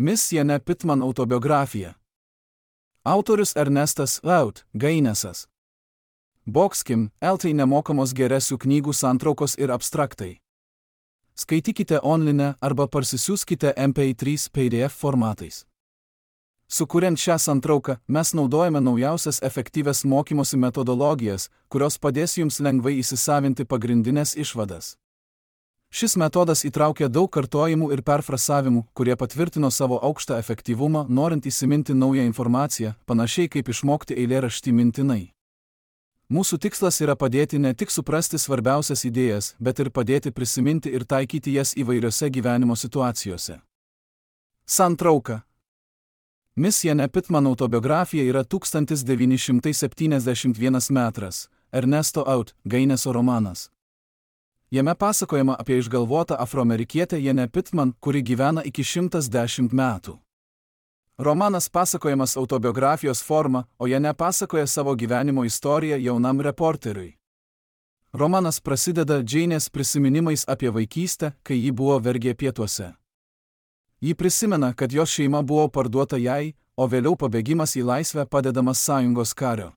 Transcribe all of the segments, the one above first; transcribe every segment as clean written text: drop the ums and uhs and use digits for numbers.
Miss Jane Pittman autobiografija. Autorius Ernestas Gainesas. Boxkim, LT nemokamos geresių knygų santraukos ir abstraktai. Skaitykite online arba parsisiųskite MP3 PDF formatais. Sukuriant šią santrauką, mes naudojame naujausias efektyvias mokymosi metodologijas, kurios padės jums lengvai įsisavinti pagrindinės išvadas. Šis metodas įtraukia daug kartojimų ir perfrasavimų, kurie patvirtino savo aukštą efektyvumą, norint įsiminti naują informaciją, panašiai kaip išmokti eilėraštį mintinai. Mūsų tikslas yra padėti ne tik suprasti svarbiausias idėjas, bet ir padėti prisiminti ir taikyti jas įvairiose gyvenimo situacijose. Santrauka. Miss Jane Pittman autobiografija yra 1971 metras, Ernesto Gaineso romanas. Jame pasakojama apie išgalvotą afroamerikietę Jane Pittman, kuri gyvena iki 110 metų. Romanas pasakojamas autobiografijos forma, o Jane pasakoja savo gyvenimo istoriją jaunam reporteriui. Romanas prasideda Janės prisiminimais apie vaikystę, kai ji buvo vergė pietuose. Ji prisimena, kad jos šeima buvo parduota jai, o vėliau pabėgimas į laisvę padedamas sąjungos kario.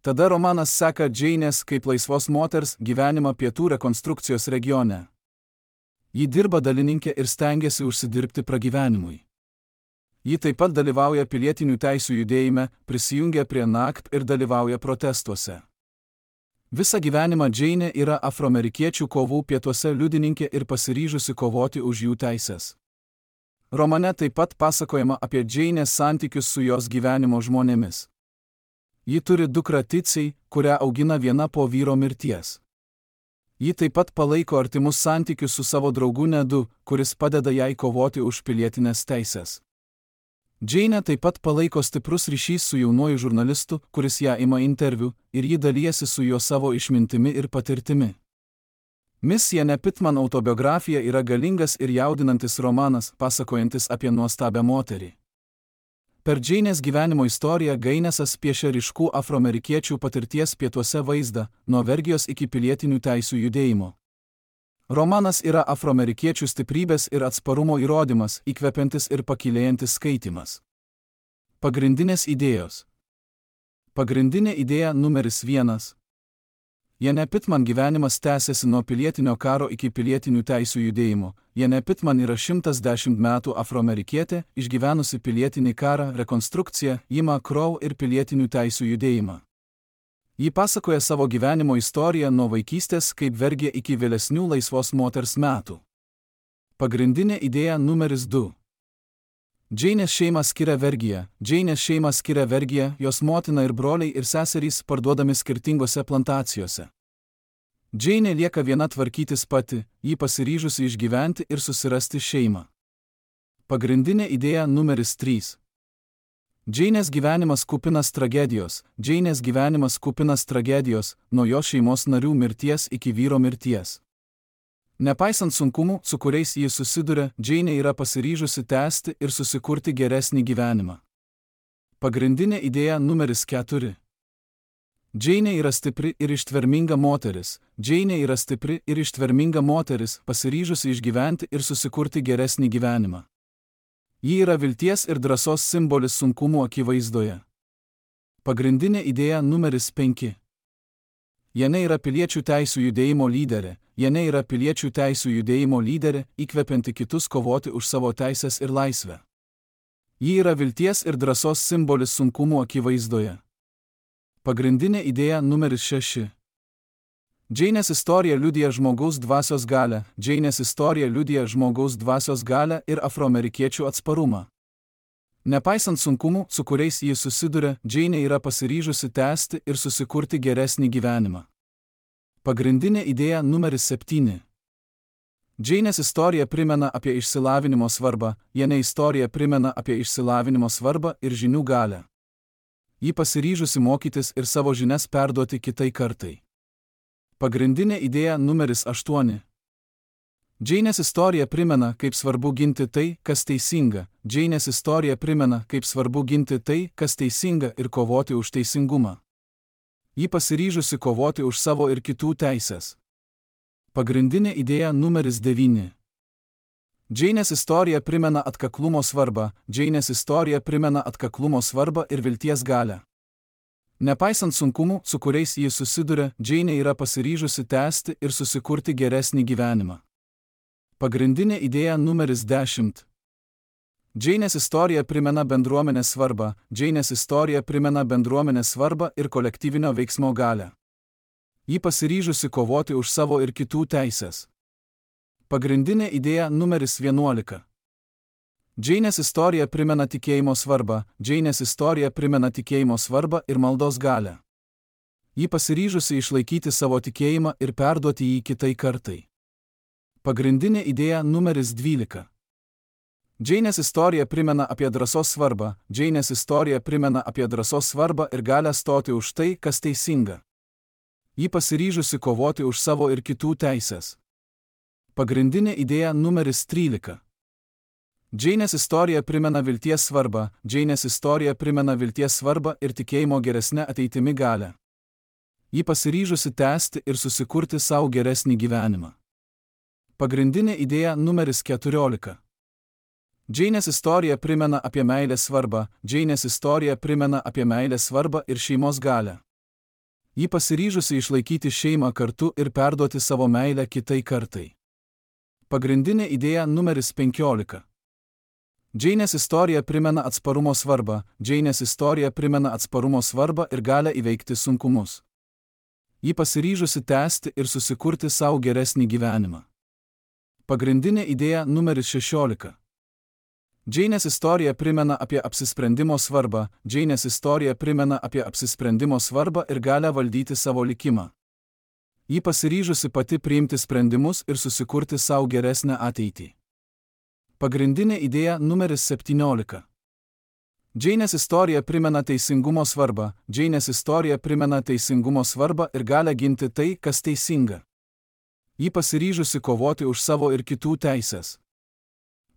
Tada romanas seka Janės kaip laisvos moters gyvenimą pietų rekonstrukcijos regione. Ji dirba dalininkė ir stengiasi užsidirbti pragyvenimui. Ji taip pat dalyvauja pilietinių teisių judėjime, prisijungia prie NACP ir dalyvauja protestuose. Visą gyvenimą Janė yra afroamerikiečių kovų pietuose liudininkė ir pasiryžusi kovoti už jų teises. Romane taip pat pasakojama apie Janės santykius su jos gyvenimo žmonėmis. Ji turi dukrą Titsiai, kurią augina viena po vyro mirties. Ji taip pat palaiko artimus santykius su savo draugu Nedu, kuris padeda jai kovoti už pilietinės teises. Janė taip pat palaiko stiprus ryšys su jaunuoju žurnalistu, kuris ją ima interviu, ir ji dalijasi su juo savo išmintimi ir patirtimi. Miss Jane Pittman autobiografija yra galingas ir jaudinantis romanas, pasakojantis apie nuostabią moterį. Per Janės gyvenimo istoriją Gainesas piešia ryškų afroamerikiečių patirties pietuose vaizdą, nuo vergijos iki pilietinių teisių judėjimo. Romanas yra afroamerikiečių stiprybės ir atsparumo įrodymas, įkvepiantis ir pakylėjantis skaitymas. Pagrindinės idėjos. Pagrindinė idėja numeris 1. Jane Pittman gyvenimas tęsiasi nuo pilietinio karo iki pilietinių teisių judėjimo. Jane Pittman yra 110 metų afroamerikietė, išgyvenusi pilietinį karą, rekonstrukciją, Jimą Crow ir pilietinių teisių judėjimą. Ji pasakoja savo gyvenimo istoriją nuo vaikystės kaip vergė iki vėlesnių laisvos moters metų. Pagrindinė idėja numeris 2. Janės šeimą skiria vergija. Janės šeimą skiria vergija, jos motina ir broliai ir seserys parduodami skirtingose plantacijose. Janė lieka viena tvarkytis pati, ji pasiryžusi išgyventi ir susirasti šeimą. Pagrindinė idėja numeris 3. Janės gyvenimas kupinas tragedijos. Janės gyvenimas kupinas tragedijos, nuo jo šeimos narių mirties iki vyro mirties. Nepaisant sunkumų, su kuriais ji susiduria, Janė yra pasiryžusi tęsti ir susikurti geresnį gyvenimą. Pagrindinė idėja numeris 4. Janė yra stipri ir ištverminga moteris. Janė yra stipri ir ištverminga moteris, pasiryžusi išgyventi ir susikurti geresnį gyvenimą. Ji yra vilties ir drąsos simbolis sunkumų akivaizdoje. Pagrindinė idėja numeris 5. Jane yra piliečių teisių judėjimo lyderė. Jane yra piliečių teisių judėjimo lyderė, įkvepianti kitus kovoti už savo teises ir laisvę. Ji yra vilties ir drąsos simbolis sunkumų akivaizdoje. Pagrindinė idėja numeris 6. Janės istorija liudija žmogaus dvasios galią. Janės istorija liudija žmogaus dvasios galią ir afroamerikiečių atsparumą. Nepaisant sunkumų, su kuriais ji susiduria, Janė yra pasiryžusi tęsti ir susikurti geresnį gyvenimą. Pagrindinė idėja numeris 7. Janės istorija primena apie išsilavinimo svarbą. Jane istorija primena apie išsilavinimo svarbą ir žinių galią. Ji pasiryžusi mokytis ir savo žinias perduoti kitai kartai. Pagrindinė idėja numeris 8. Janės istorija primena, kaip svarbu ginti tai, kas teisinga. Janės istorija primena, kaip svarbu ginti tai, kas teisinga ir kovoti už teisingumą. Ji pasiryžusi kovoti už savo ir kitų teises. Pagrindinė idėja numeris 9. Džeinės istorija primena atkaklumo svarbą, Džeinės istorija primena atkaklumo svarbą ir vilties galią. Nepaisant sunkumų, su kuriais ji susiduria, Džeinė yra pasiryžusi tęsti ir susikurti geresnį gyvenimą. Pagrindinė idėja numeris 10. Džeinės istorija primena bendruomenės svarbą, Džeinės istorija primena bendruomenės svarbą ir kolektyvinio veiksmo galią. Ji pasiryžusi kovoti už savo ir kitų teises. Pagrindinė idėja numeris 11. Džeinės istorija primena tikėjimo svarbą, Džeinės istorija primena tikėjimo svarbą ir maldos galią. Ji pasiryžusi išlaikyti savo tikėjimą ir perduoti jį kitai kartai. Pagrindinė idėja numeris 12. Džeinės istorija primena apie drąsos svarbą, Džeinės istorija primena apie drąsos svarbą ir galią stoti už tai, kas teisinga. Ji pasiryžusi kovoti už savo ir kitų teises. Pagrindinė idėja numeris 13. Džeinės istorija primena vilties svarbą, Džeinės istorija primena vilties svarbą ir tikėjimo geresnę ateitimi galią. Ji pasiryžusi tęsti ir susikurti savo geresnį gyvenimą. Pagrindinė idėja numeris 14. Džeinės istorija primena apie meilės svarbą, Džeinės istorija primena apie meilės svarbą ir šeimos galią. Ji pasiryžusi išlaikyti šeimą kartu ir perduoti savo meilę kitai kartai. Pagrindinė idėja numeris 15. Džeinės istorija primena atsparumo svarbą, Džeinės istorija primena atsparumo svarbą ir galią įveikti sunkumus. Ji pasiryžusi tęsti ir susikurti savo geresnį gyvenimą. Pagrindinė idėja numeris 16. Džeinės istorija primena apie apsisprendimo svarbą, Džeinės istorija primena apie apsisprendimo svarbą ir galią valdyti savo likimą. Ji pasiryžusi pati priimti sprendimus ir susikurti savo geresnę ateitį. Pagrindinė idėja numeris 17. Džeinės istorija primena teisingumo svarbą, Džeinės istorija primena teisingumo svarbą ir galią ginti tai, kas teisinga. Ji pasiryžusi kovoti už savo ir kitų teises.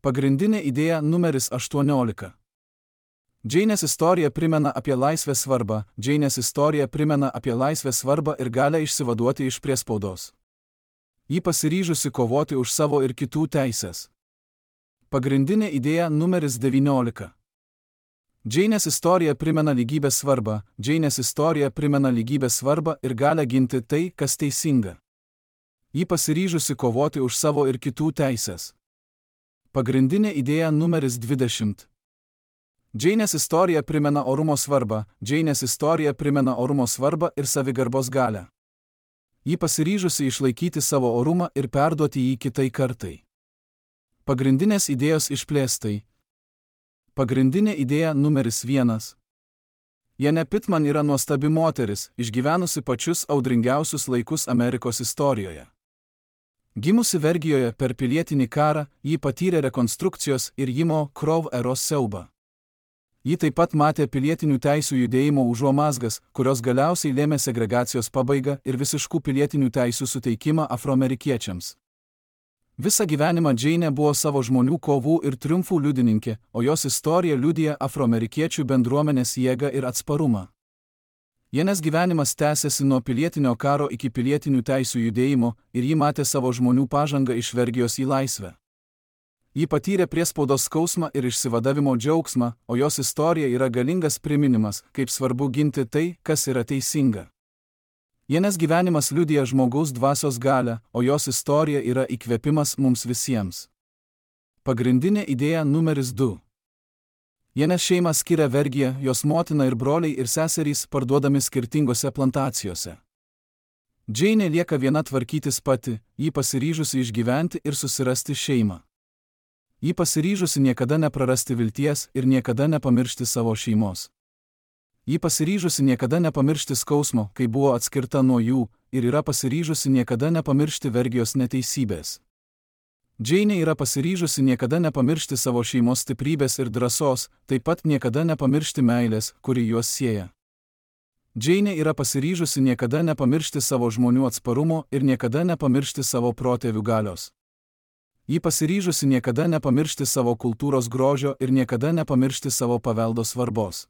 Pagrindinė idėja numeris 18. Džeinės istorija primena apie laisvės svarbą, Džeinės istorija primena apie laisvės svarbą ir galią išsivaduoti iš priespaudos. Ji pasiryžusi kovoti už savo ir kitų teises. Pagrindinė idėja numeris 19. Džeinės istorija primena lygybės svarbą, Džeinės istorija primena lygybės svarbą ir galią ginti tai, kas teisinga. Ji pasiryžusi kovoti už savo ir kitų teises. Pagrindinė idėja numeris 20. Džeinės istorija primena orumo svarbą, Džeinės istorija primena orumo svarbą ir savigarbos galią. Ji pasiryžusi išlaikyti savo orumą ir perduoti jį kitai kartai. Pagrindinės idėjos išplėstai. Pagrindinė idėja numeris 1. Jane Pittman yra nuostabi moteris, išgyvenusi pačius audringiausius laikus Amerikos istorijoje. Gimusi Vergijoje per pilietinį karą, ji patyrė rekonstrukcijos ir Jimo Crow eros siaubą. Ji taip pat matė pilietinių teisių judėjimo užuomazgas, kurios galiausiai lėmė segregacijos pabaigą ir visiškų pilietinių teisių suteikimą afroamerikiečiams. Visą gyvenimą Džeinė buvo savo žmonių kovų ir triumfų liudininkė, o jos istorija liudija afroamerikiečių bendruomenės jėgą ir atsparumą. Janės gyvenimas tęsėsi nuo pilietinio karo iki pilietinių teisių judėjimo ir ji matė savo žmonių pažangą iš vergijos į laisvę. Ji patyrė priespaudos skausmą ir išsivadavimo džiaugsmą, o jos istorija yra galingas priminimas, kaip svarbu ginti tai, kas yra teisinga. Janės gyvenimas liudija žmogaus dvasios galią, o jos istorija yra įkvėpimas mums visiems. Pagrindinė idėja numeris 2. Janės šeimą skiria vergija, jos motina ir broliai ir seserys parduodami skirtingose plantacijose. Džeinė lieka viena tvarkytis pati, ji pasiryžusi išgyventi ir susirasti šeimą. Ji pasiryžusi niekada neprarasti vilties ir niekada nepamiršti savo šeimos. Ji pasiryžusi niekada nepamiršti skausmo, kai buvo atskirta nuo jų, ir yra pasiryžusi niekada nepamiršti vergijos neteisybės. Džeinė yra pasiryžusi niekada nepamiršti savo šeimos stiprybės ir drąsos, taip pat niekada nepamiršti meilės, kuri juos sieja. Džeinė yra pasiryžusi niekada nepamiršti savo žmonių atsparumo ir niekada nepamiršti savo protėvių galios. Ji pasiryžusi niekada nepamiršti savo kultūros grožio ir niekada nepamiršti savo paveldo svarbos.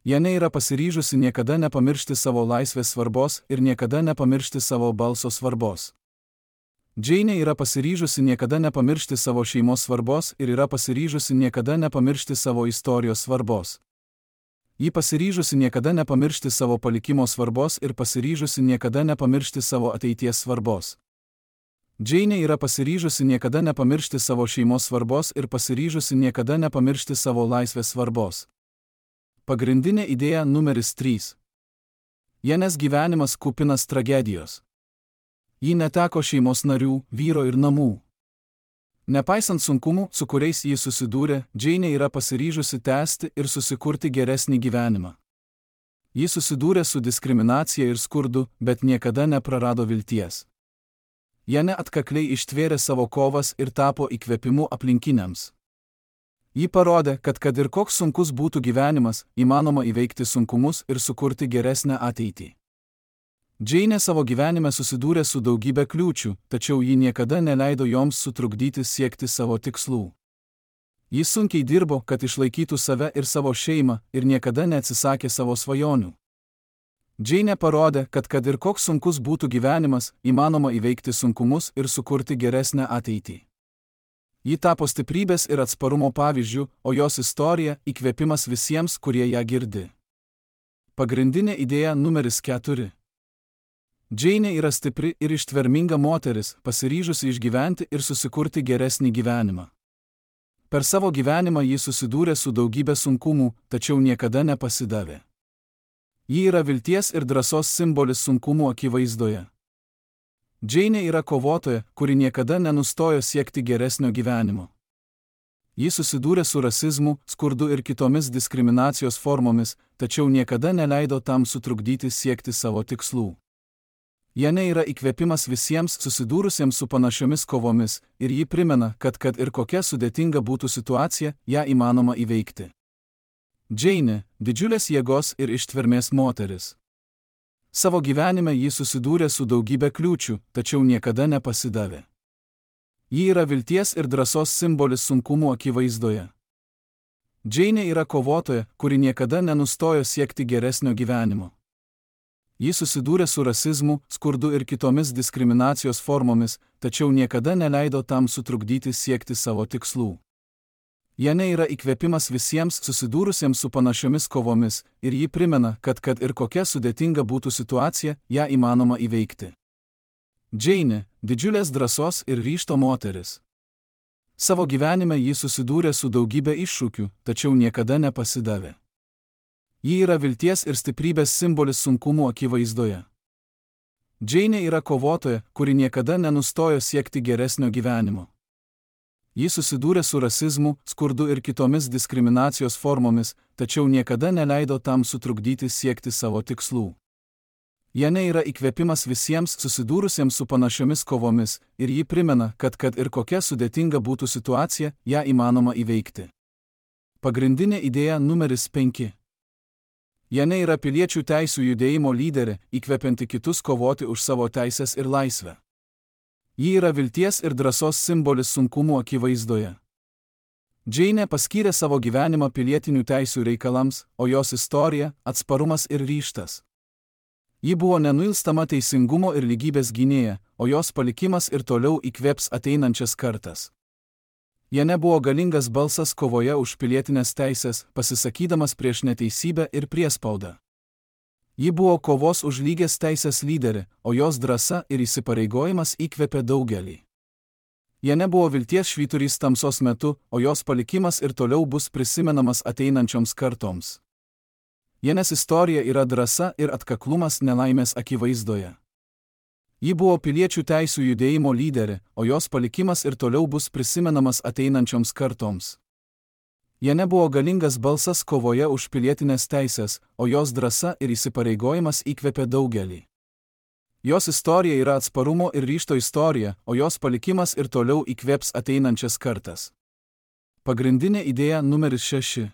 Janė yra pasiryžusi niekada nepamiršti savo laisvės svarbos ir niekada nepamiršti savo balso svarbos. Džeinė yra pasiryžusi niekada nepamiršti savo šeimos svarbos ir yra pasiryžusi niekada nepamiršti savo istorijos svarbos. Ji pasiryžusi niekada nepamiršti savo palikimo svarbos ir pasiryžusi niekada nepamiršti savo ateities svarbos. Džeinė yra pasiryžusi niekada nepamiršti savo šeimos svarbos ir pasiryžusi niekada nepamiršti savo laisvės svarbos. Pagrindinė idėja numeris 3. Jenės gyvenimas kupinas tragedijos. Ji neteko šeimos narių, vyro ir namų. Nepaisant sunkumų, su kuriais ji susidūrė, Džeinė yra pasiryžusi tęsti ir susikurti geresnį gyvenimą. Ji susidūrė su diskriminacija ir skurdu, bet niekada neprarado vilties. Jenė atkakliai ištvėrė savo kovas ir tapo įkvėpimu aplinkiniams. Ji parodė, kad ir koks sunkus būtų gyvenimas, įmanoma įveikti sunkumus ir sukurti geresnę ateitį. Džeinė savo gyvenime susidūrė su daugybė kliūčių, tačiau ji niekada neleido joms sutrukdyti siekti savo tikslų. Ji sunkiai dirbo, kad išlaikytų save ir savo šeimą ir niekada neatsisakė savo svajonių. Džeinė parodė, kad ir koks sunkus būtų gyvenimas, įmanoma įveikti sunkumus ir sukurti geresnę ateitį. Ji tapo stiprybės ir atsparumo pavyzdžių, o jos istorija įkvėpimas visiems, kurie ją girdi. Pagrindinė idėja numeris 4. Džeinė yra stipri ir ištverminga moteris, pasiryžusi išgyventi ir susikurti geresnį gyvenimą. Per savo gyvenimą ji susidūrė su daugybė sunkumų, tačiau niekada nepasidavė. Ji yra vilties ir drąsos simbolis sunkumų akivaizdoje. Džeinė yra kovotoja, kuri niekada nenustojo siekti geresnio gyvenimo. Ji susidūrė su rasizmu, skurdu ir kitomis diskriminacijos formomis, tačiau niekada neleido tam sutrukdyti siekti savo tikslų. Jenė yra įkvėpimas visiems susidūrusiems su panašiomis kovomis ir ji primena, kad ir kokia sudėtinga būtų situacija, ją įmanoma įveikti. Džeinė – didžiulės jėgos ir ištvermės moteris. Savo gyvenime ji susidūrė su daugybė kliūčių, tačiau niekada nepasidavė. Ji yra vilties ir drąsos simbolis sunkumų akivaizdoje. Džeinė yra kovotoja, kuri niekada nenustojo siekti geresnio gyvenimo. Ji susidūrė su rasizmu, skurdu ir kitomis diskriminacijos formomis, tačiau niekada neleido tam sutrukdyti siekti savo tikslų. Jenė yra įkvėpimas visiems susidūrusiems su panašiomis kovomis ir ji primena, kad ir kokia sudėtinga būtų situacija, ją įmanoma įveikti. Džeinė – didžiulės drąsos ir ryžto moteris. Savo gyvenime ji susidūrė su daugybė iššūkių, tačiau niekada nepasidavė. Ji yra vilties ir stiprybės simbolis sunkumų akivaizdoje. Džeinė yra kovotoja, kuri niekada nenustojo siekti geresnio gyvenimo. Ji susidūrė su rasizmu, skurdu ir kitomis diskriminacijos formomis, tačiau niekada neleido tam sutrukdyti siekti savo tikslų. Jenė yra įkvėpimas visiems susidūrusiems su panašiomis kovomis ir ji primena, kad ir kokia sudėtinga būtų situacija, ją įmanoma įveikti. Pagrindinė idėja numeris 5. Jenė yra piliečių teisių judėjimo lyderė, įkvepianti kitus kovoti už savo teisės ir laisvę. Ji yra vilties ir drąsos simbolis sunkumų akivaizdoje. Džeinė paskyrė savo gyvenimą pilietinių teisių reikalams, o jos istorija – atsparumas ir ryžtas. Ji buvo nenuilstama teisingumo ir lygybės gynėja, o jos palikimas ir toliau įkvėps ateinančias kartas. Jenė buvo galingas balsas kovoje už pilietinės teisės, pasisakydamas prieš neteisybę ir priespaudą. Ji buvo kovos už lygias teisės lyderė, o jos drąsa ir įsipareigojimas įkvėpė daugelį. Jenė buvo vilties švyturys tamsos metu, o jos palikimas ir toliau bus prisimenamas ateinančioms kartoms. Jenės istorija yra drąsa ir atkaklumas nelaimės akivaizdoje. Ji buvo piliečių teisių judėjimo lyderė, o jos palikimas ir toliau bus prisimenamas ateinančioms kartoms. Jenė buvo galingas balsas kovoje už pilietinės teisės, o jos drąsa ir įsipareigojimas įkvėpė daugelį. Jos istorija yra atsparumo ir ryžto istorija, o jos palikimas ir toliau įkvėps ateinančias kartas. Pagrindinė idėja numeris 6.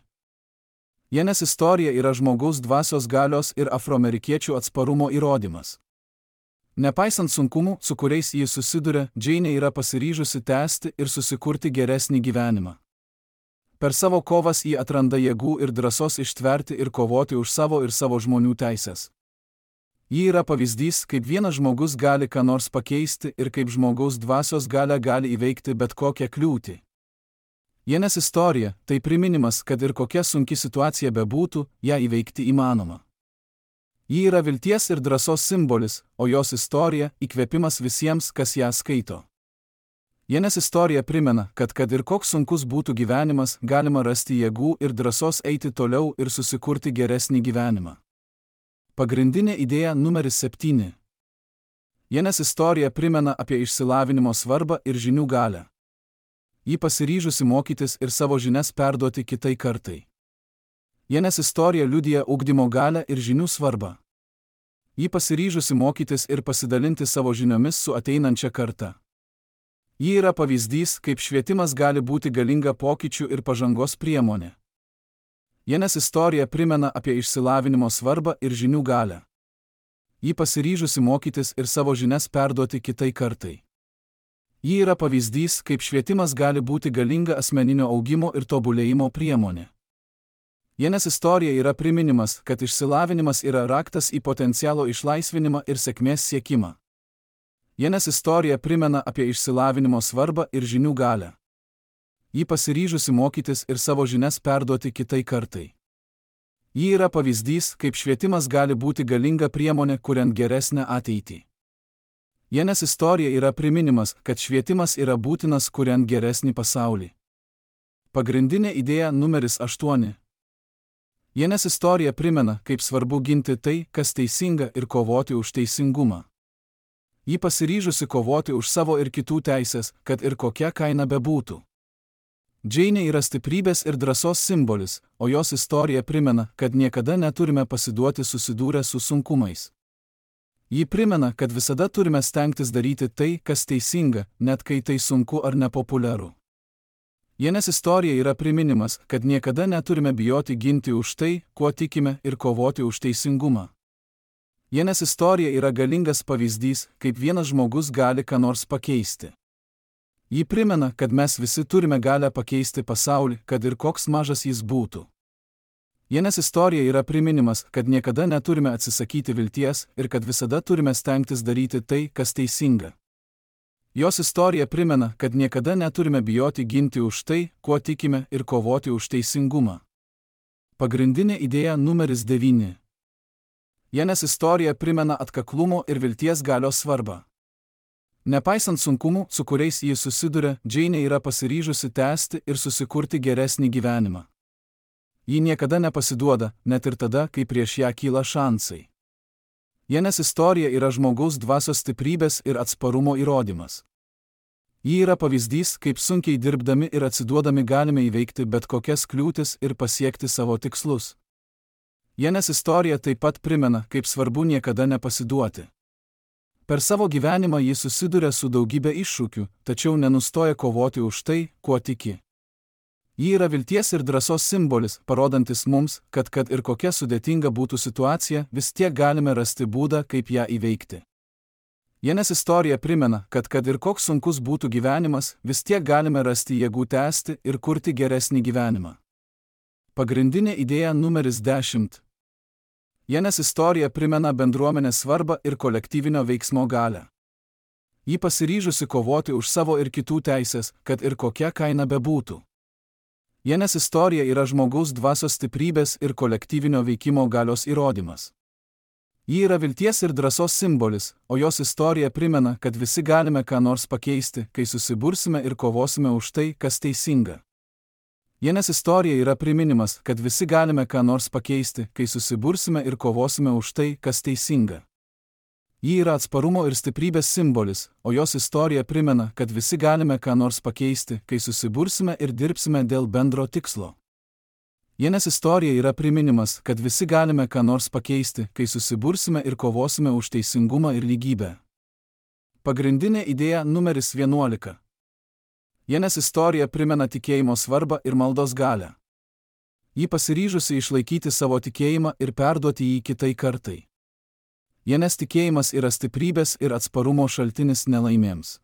Jenės istorija yra žmogaus dvasios galios ir afroamerikiečių atsparumo įrodymas. Nepaisant sunkumų, su kuriais ji susiduria, Džeinė yra pasiryžusi tęsti ir susikurti geresnį gyvenimą. Per savo kovas ji atranda jėgų ir drąsos ištverti ir kovoti už savo ir savo žmonių teises. Ji yra pavyzdys, kaip vienas žmogus gali ką nors pakeisti ir kaip žmogaus dvasios galia gali įveikti bet kokią kliūtį. Jenės istorija – tai priminimas, kad ir kokia sunki situacija bebūtų, ją įveikti įmanoma. Ji yra vilties ir drąsos simbolis, o jos istorija – įkvėpimas visiems, kas ją skaito. Jenės istorija primena, kad ir koks sunkus būtų gyvenimas, galima rasti jėgų ir drąsos eiti toliau ir susikurti geresnį gyvenimą. Pagrindinė idėja numeris 7. Jenės istorija primena apie išsilavinimo svarbą ir žinių galią. Ji pasiryžusi mokytis ir savo žinias perduoti kitai kartai. Jenės istorija liudija ugdymo galią ir žinių svarbą. Ji pasiryžusi mokytis ir pasidalinti savo žiniomis su ateinančia karta. Ji yra pavyzdys, kaip švietimas gali būti galinga pokyčių ir pažangos priemonė. Jenės istorija primena apie išsilavinimo svarbą ir žinių galią. Ji pasiryžusi mokytis ir savo žinias perduoti kitai kartai. Ji yra pavyzdys, kaip švietimas gali būti galinga asmeninio augimo ir tobulėjimo priemonė. Jenės istorija yra priminimas, kad išsilavinimas yra raktas į potencialo išlaisvinimą ir sėkmės siekimą. Jenės istorija primena apie išsilavinimo svarbą ir žinių galią. Ji pasiryžusi mokytis ir savo žinias perduoti kitai kartai. Ji yra pavyzdys, kaip švietimas gali būti galinga priemonė, kuriant geresnę ateitį. Jenės istorija yra priminimas, kad švietimas yra būtinas, kuriant geresnį pasaulį. Pagrindinė idėja numeris 8. Jenės istorija primena, kaip svarbu ginti tai, kas teisinga ir kovoti už teisingumą. Ji pasiryžusi kovoti už savo ir kitų teisės, kad ir kokia kaina bebūtų. Džeinė yra stiprybės ir drąsos simbolis, o jos istorija primena, kad niekada neturime pasiduoti susidūrę su sunkumais. Ji primena, kad visada turime stengtis daryti tai, kas teisinga, net kai tai sunku ar nepopuliaru. Jenės istorija yra priminimas, kad niekada neturime bijoti ginti už tai, kuo tikime ir kovoti už teisingumą. Jenės istorija yra galingas pavyzdys, kaip vienas žmogus gali ką nors pakeisti. Ji primena, kad mes visi turime galią pakeisti pasaulį, kad ir koks mažas jis būtų. Jenės istorija yra priminimas, kad niekada neturime atsisakyti vilties ir kad visada turime stengtis daryti tai, kas teisinga. Jos istorija primena, kad niekada neturime bijoti ginti už tai, kuo tikime ir kovoti už teisingumą. Pagrindinė idėja numeris 9. Jenės istorija primena atkaklumo ir vilties galios svarbą. Nepaisant sunkumų, su kuriais ji susiduria, Džeinė yra pasiryžusi tęsti ir susikurti geresnį gyvenimą. Ji niekada nepasiduoda, net ir tada, kai prieš ją kyla šansai. Jenės istorija yra žmogaus dvasios stiprybės ir atsparumo įrodymas. Ji yra pavyzdys, kaip sunkiai dirbdami ir atsiduodami galime įveikti bet kokias kliūtis ir pasiekti savo tikslus. Jenės istorija taip pat primena, kaip svarbu niekada nepasiduoti. Per savo gyvenimą ji susiduria su daugybė iššūkių, tačiau nenustoja kovoti už tai, kuo tiki. Ji yra vilties ir drąsos simbolis, parodantis mums, kad ir kokia sudėtinga būtų situacija, vis tiek galime rasti būdą, kaip ją įveikti. Jenės istorija primena, kad ir koks sunkus būtų gyvenimas, vis tiek galime rasti jėgų tęsti ir kurti geresnį gyvenimą. Pagrindinė idėja numeris 10. Jenės istorija primena bendruomenės svarbą ir kolektyvinio veiksmo galią. Ji pasiryžusi kovoti už savo ir kitų teisės, kad ir kokia kaina bebūtų. Jenės istorija yra žmogaus dvasios stiprybės ir kolektyvinio veikimo galios įrodymas. Ji yra vilties ir drąsos simbolis, o jos istorija primena, kad visi galime ką nors pakeisti, kai susibursime ir kovosime už tai, kas teisinga. Jenės istorija yra priminimas, kad visi galime ką nors pakeisti, kai susibursime ir kovosime už tai, kas teisinga. Ji yra atsparumo ir stiprybės simbolis, o jos istorija primena, kad visi galime ką nors pakeisti, kai susibursime ir dirbsime dėl bendro tikslo. Jenės istorija yra priminimas, kad visi galime ką nors pakeisti, kai susibursime ir kovosime už teisingumą ir lygybę. Pagrindinė idėja numeris 11. Jenės istorija primena tikėjimo svarbą ir maldos galią. Ji pasiryžusi išlaikyti savo tikėjimą ir perduoti jį kitai kartai. Jenės tikėjimas yra stiprybės ir atsparumo šaltinis nelaimėms.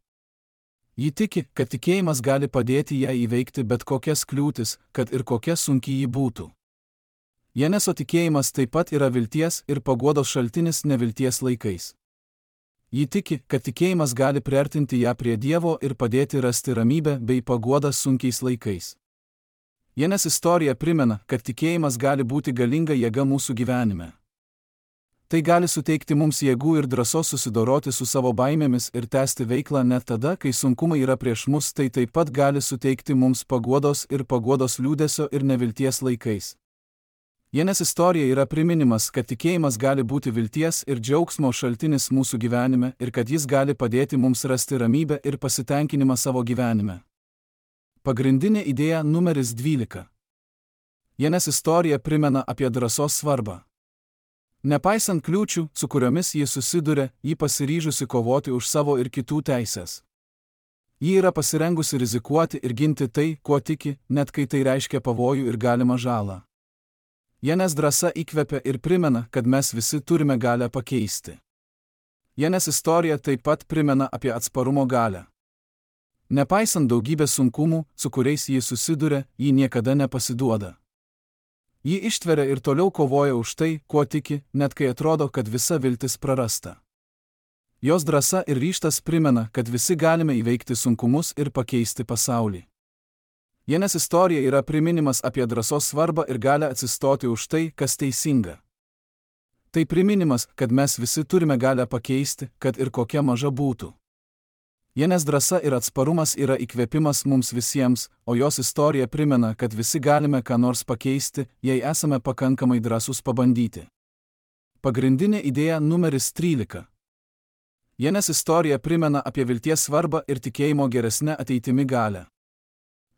Ji tiki, kad tikėjimas gali padėti ją įveikti bet kokias kliūtis, kad ir kokia sunki ji būtų. Jeneso tikėjimas taip pat yra vilties ir paguodos šaltinis nevilties laikais. Ji tiki, kad tikėjimas gali priartinti ją prie Dievo ir padėti rasti ramybę bei paguodą sunkiais laikais. Jenes istorija primena, kad tikėjimas gali būti galinga jėga mūsų gyvenime. Tai gali suteikti mums jėgų ir drąsos susidoroti su savo baimėmis ir tęsti veiklą net tada, kai sunkumai yra prieš mus, tai taip pat gali suteikti mums paguodos liūdesio ir nevilties laikais. Jenes istorija yra priminimas, kad tikėjimas gali būti vilties ir džiaugsmo šaltinis mūsų gyvenime ir kad jis gali padėti mums rasti ramybę ir pasitenkinimą savo gyvenime. Pagrindinė idėja numeris 12. Jenes istorija primena apie drąsos svarbą. Nepaisant kliūčių, su kuriomis ji susiduria, ji pasiryžusi kovoti už savo ir kitų teisės. Ji yra pasirengusi rizikuoti ir ginti tai, kuo tiki, net kai tai reiškia pavojų ir galimą žalą. Jenes drąsa įkvepia ir primena, kad mes visi turime galią pakeisti. Jenes istorija taip pat primena apie atsparumo galią. Nepaisant daugybės sunkumų, su kuriais ji susiduria, ji niekada nepasiduoda. Ji ištveria ir toliau kovoja už tai, kuo tiki, net kai atrodo, kad visa viltis prarasta. Jos drąsa ir ryžtas primena, kad visi galime įveikti sunkumus ir pakeisti pasaulį. Jenes istorija yra priminimas apie drąsos svarbą ir galią atsistoti už tai, kas teisinga. Tai priminimas, kad mes visi turime galią pakeisti, kad ir kokia maža būtų. Jenes drąsa ir atsparumas yra įkvėpimas mums visiems, o jos istorija primena, kad visi galime ką nors pakeisti, jei esame pakankamai drąsūs pabandyti. Pagrindinė idėja numeris 13. Jenes istorija primena apie vilties svarbą ir tikėjimo geresnę ateitimi galią.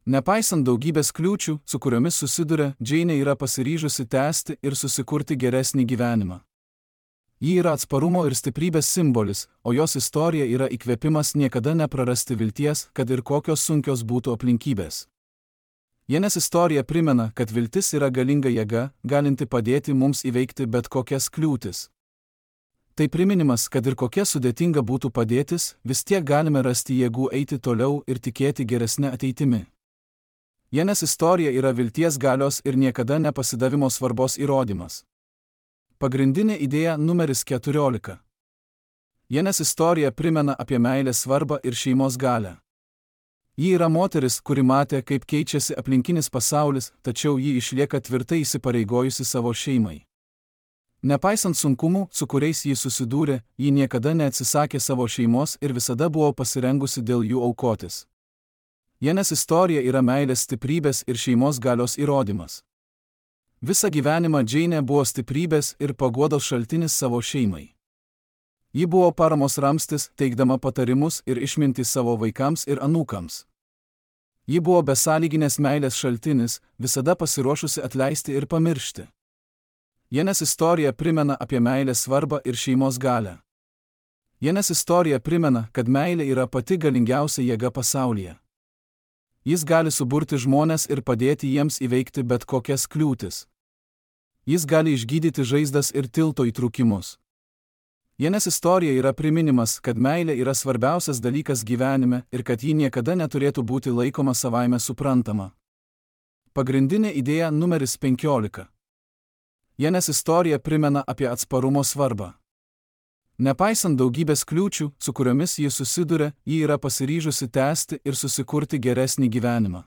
Nepaisant daugybės kliūčių, su kuriomis susiduria, Džeinė yra pasiryžusi tęsti ir susikurti geresnį gyvenimą. Ji yra atsparumo ir stiprybės simbolis, o jos istorija yra įkvėpimas niekada neprarasti vilties, kad ir kokios sunkios būtų aplinkybės. Jenes istorija primena, kad viltis yra galinga jėga, galinti padėti mums įveikti bet kokias kliūtis. Tai priminimas, kad ir kokia sudėtinga būtų padėtis, vis tiek galime rasti jėgų eiti toliau ir tikėti geresnę ateitimi. Jenes istorija yra vilties galios ir niekada nepasidavimo svarbos įrodymas. Pagrindinė idėja numeris 14. Jenes istorija primena apie meilės svarbą ir šeimos galią. Ji yra moteris, kuri matė, kaip keičiasi aplinkinis pasaulis, tačiau ji išlieka tvirtai įsipareigojusi savo šeimai. Nepaisant sunkumų, su kuriais ji susidūrė, ji niekada neatsisakė savo šeimos ir visada buvo pasirengusi dėl jų aukotis. Jenes istorija yra meilės stiprybės ir šeimos galios įrodymas. Visą gyvenimą Džeinė buvo stiprybės ir paguodos šaltinis savo šeimai. Ji buvo paramos ramstis, teikdama patarimus ir išmintį savo vaikams ir anūkams. Ji buvo besąlyginės meilės šaltinis, visada pasiruošusi atleisti ir pamiršti. Jenes istorija primena apie meilės svarbą ir šeimos galią. Jenes istorija primena, kad meilė yra pati galingiausia jėga pasaulyje. Jis gali suburti žmones ir padėti jiems įveikti bet kokias kliūtis. Jis gali išgydyti žaizdas ir tilto įtrūkimus. Jenes istorija yra priminimas, kad meilė yra svarbiausias dalykas gyvenime ir kad ji niekada neturėtų būti laikoma savaime suprantama. Pagrindinė idėja numeris 15. Jenes istorija primena apie atsparumo svarbą. Nepaisant daugybės kliūčių, su kuriomis ji susiduria, ji yra pasiryžusi tęsti ir susikurti geresnį gyvenimą.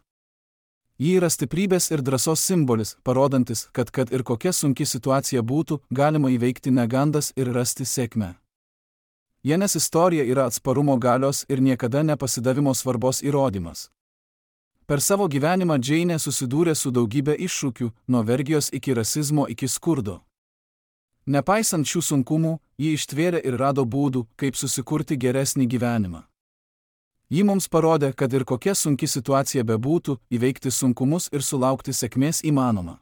Ji yra stiprybės ir drąsos simbolis, parodantis, kad ir kokia sunki situacija būtų, galima įveikti negandas ir rasti sėkmę. Jenes istorija yra atsparumo galios ir niekada nepasidavimo svarbos įrodymas. Per savo gyvenimą Džeinė susidūrė su daugybė iššūkių, nuo vergijos iki rasizmo iki skurdo. Nepaisant šių sunkumų, ji ištvėrė ir rado būdų, kaip susikurti geresnį gyvenimą. Ji mums parodė, kad ir kokia sunki situacija bebūtų, įveikti sunkumus ir sulaukti sėkmės įmanoma.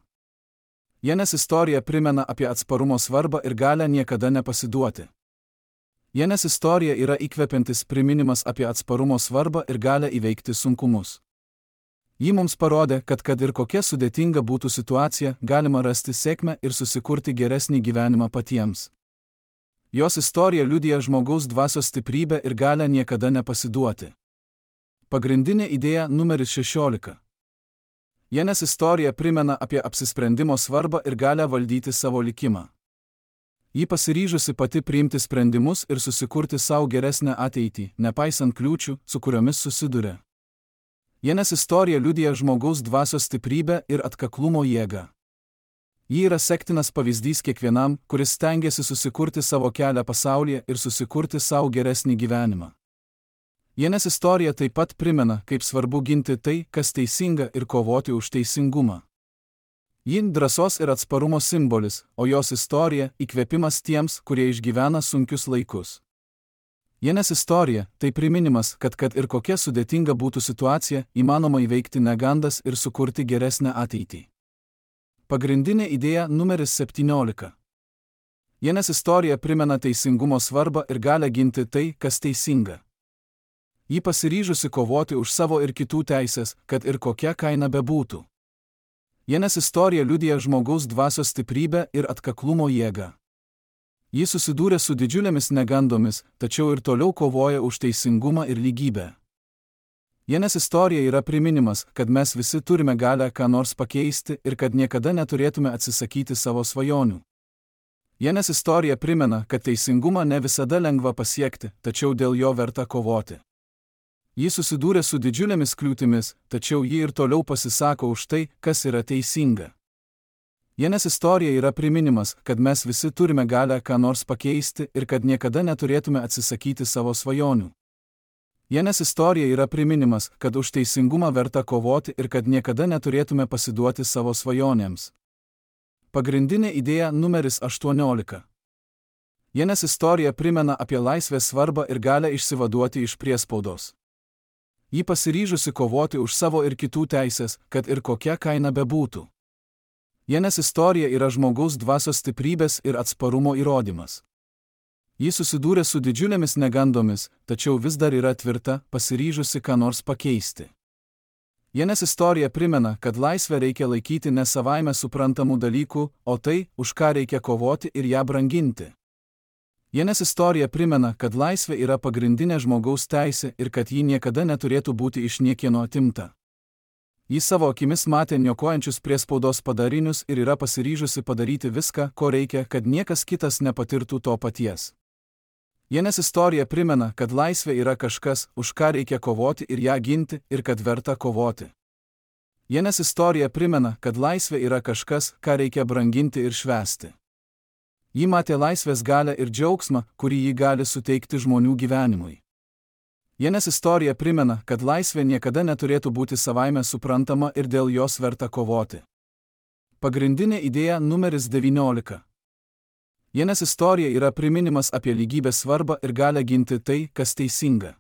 Jenes istorija primena apie atsparumo svarbą ir galią niekada nepasiduoti. Jenes istorija yra įkvepiantis priminimas apie atsparumo svarbą ir galią įveikti sunkumus. Ji mums parodė, kad ir kokia sudėtinga būtų situacija, galima rasti sėkmę ir susikurti geresnį gyvenimą patiems. Jos istorija liudija žmogaus dvasios stiprybę ir galią niekada nepasiduoti. Pagrindinė idėja numeris 16. Jenes istorija primena apie apsisprendimo svarbą ir galę valdyti savo likimą. Ji pasiryžusi pati priimti sprendimus ir susikurti savo geresnę ateitį, nepaisant kliūčių, su kuriomis susiduria. Jenes istorija liudija žmogaus dvasios stiprybę ir atkaklumo jėgą. Ji yra sektinas pavyzdys kiekvienam, kuris stengiasi susikurti savo kelią pasaulyje ir susikurti savo geresnį gyvenimą. Jenes istorija taip pat primena, kaip svarbu ginti tai, kas teisinga ir kovoti už teisingumą. Ji drąsos ir atsparumo simbolis, o jos istorija įkvėpimas tiems, kurie išgyvena sunkius laikus. Jenes istorija tai priminimas, kad ir kokia sudėtinga būtų situacija, įmanoma įveikti negandas ir sukurti geresnę ateitį. Pagrindinė idėja numeris 17. Jenes istorija primena teisingumo svarbą ir galę ginti tai, kas teisinga. Ji pasiryžusi kovoti už savo ir kitų teisės, kad ir kokia kaina bebūtų. Jenes istorija liudija žmogaus dvasios stiprybę ir atkaklumo jėgą. Ji susidūrė su didžiulėmis negandomis, tačiau ir toliau kovoja už teisingumą ir lygybę. Jenes istorija yra priminimas, kad mes visi turime galę ką nors pakeisti ir kad niekada neturėtume atsisakyti savo svajonių. Jenes istorija primena, kad teisingumą ne visada lengva pasiekti, tačiau dėl jo verta kovoti. Ji susidūrė su didžiulėmis kliūtimis, tačiau ji ir toliau pasisako už tai, kas yra teisinga. Jenes istorija yra priminimas, kad mes visi turime galę ką nors pakeisti ir kad niekada neturėtume atsisakyti savo svajonių. Jenes istorija yra priminimas, kad už teisingumą verta kovoti ir kad niekada neturėtume pasiduoti savo svajonėms. Pagrindinė idėja numeris 18. Jenes istorija primena apie laisvės svarbą ir galę išsivaduoti iš priespaudos. Ji pasiryžusi kovoti už savo ir kitų teisės, kad ir kokia kaina bebūtų. Jenes istorija yra žmogaus dvasios stiprybės ir atsparumo įrodymas. Ji susidūrė su didžiulėmis negandomis, tačiau vis dar yra tvirta, pasiryžusi ką nors pakeisti. Jenes istorija primena, kad laisvę reikia laikyti ne savaime suprantamų dalykų, o tai, už ką reikia kovoti ir ją branginti. Jenes istorija primena, kad laisvė yra pagrindinė žmogaus teisė ir kad ji niekada neturėtų būti iš niekieno atimta. Ji savo akimis matė niokojančius priespaudos padarinius ir yra pasiryžusi padaryti viską, ko reikia, kad niekas kitas nepatirtų to paties. Jenes istorija primena, kad laisvė yra kažkas, už ką reikia kovoti ir ją ginti, ir kad verta kovoti. Jenes istorija primena, kad laisvė yra kažkas, ką reikia branginti ir švęsti. Ji matė laisvės galią ir džiaugsmą, kurį ji gali suteikti žmonių gyvenimui. Jenes istorija primena, kad laisvė niekada neturėtų būti savaime suprantama ir dėl jos verta kovoti. Pagrindinė idėja numeris 19. Jenes istorija yra priminimas apie lygybės svarbą ir galę ginti tai, kas teisinga.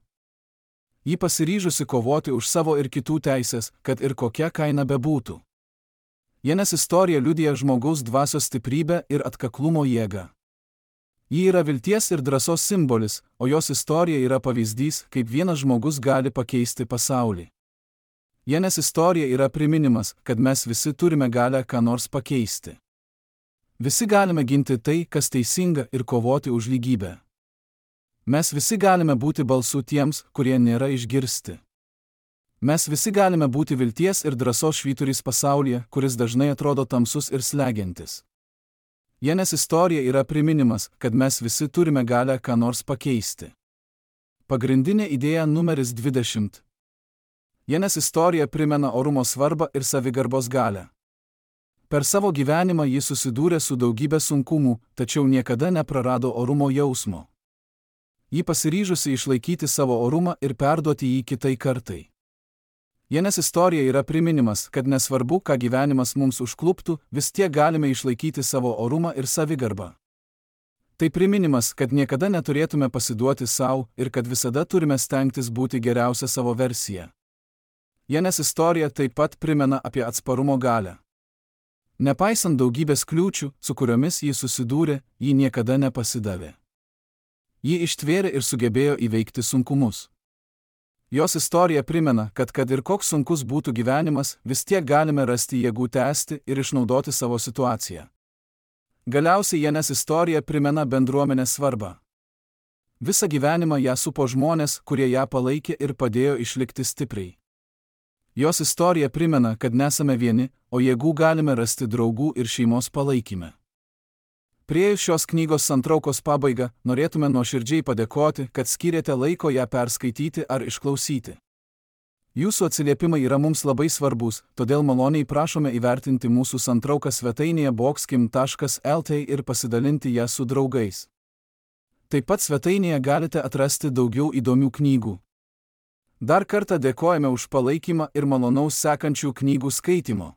Ji pasiryžusi kovoti už savo ir kitų teisės, kad ir kokia kaina bebūtų. Jenes istorija liudija žmogaus dvasios stiprybę ir atkaklumo jėgą. Ji yra vilties ir drąsos simbolis, o jos istorija yra pavyzdys, kaip vienas žmogus gali pakeisti pasaulį. Jenes istorija yra priminimas, kad mes visi turime galę ką nors pakeisti. Visi galime ginti tai, kas teisinga ir kovoti už lygybę. Mes visi galime būti balsu tiems, kurie nėra išgirsti. Mes visi galime būti vilties ir drąsos švyturys pasaulyje, kuris dažnai atrodo tamsus ir slegiantis. Jenes istorija yra priminimas, kad mes visi turime galę ką nors pakeisti. Pagrindinė idėja numeris 20. Jenes istorija primena orumo svarbą ir savigarbos galę. Per savo gyvenimą ji susidūrė su daugybė sunkumų, tačiau niekada neprarado orumo jausmo. Ji pasiryžusi išlaikyti savo orumą ir perduoti jį kitai kartai. Jenes istorija yra priminimas, kad nesvarbu, ką gyvenimas mums užkluptų, vis tiek galime išlaikyti savo orumą ir savigarbą. Tai priminimas, kad niekada neturėtume pasiduoti savo ir kad visada turime stengtis būti geriausia savo versija. Jenes istorija taip pat primena apie atsparumo galią. Nepaisant daugybės kliūčių, su kuriomis ji susidūrė, ji niekada nepasidavė. Ji ištvėrė ir sugebėjo įveikti sunkumus. Jos istorija primena, kad ir koks sunkus būtų gyvenimas, vis tiek galime rasti jėgų tęsti ir išnaudoti savo situaciją. Galiausiai Jenes istorija primena bendruomenės svarbą. Visą gyvenimą ją supo žmonės, kurie ją palaikė ir padėjo išlikti stipriai. Jos istorija primena, kad nesame vieni, o jėgų galime rasti draugų ir šeimos palaikyme. Priėjus šios knygos santraukos pabaigą, norėtume nuoširdžiai padėkoti, kad skyrėte laiko ją perskaityti ar išklausyti. Jūsų atsiliepimai yra mums labai svarbus, todėl maloniai prašome įvertinti mūsų santrauką svetainėje boxkim.lt ir pasidalinti ją su draugais. Taip pat svetainėje galite atrasti daugiau įdomių knygų. Dar kartą dėkojame už palaikymą ir malonaus sekančių knygų skaitymo.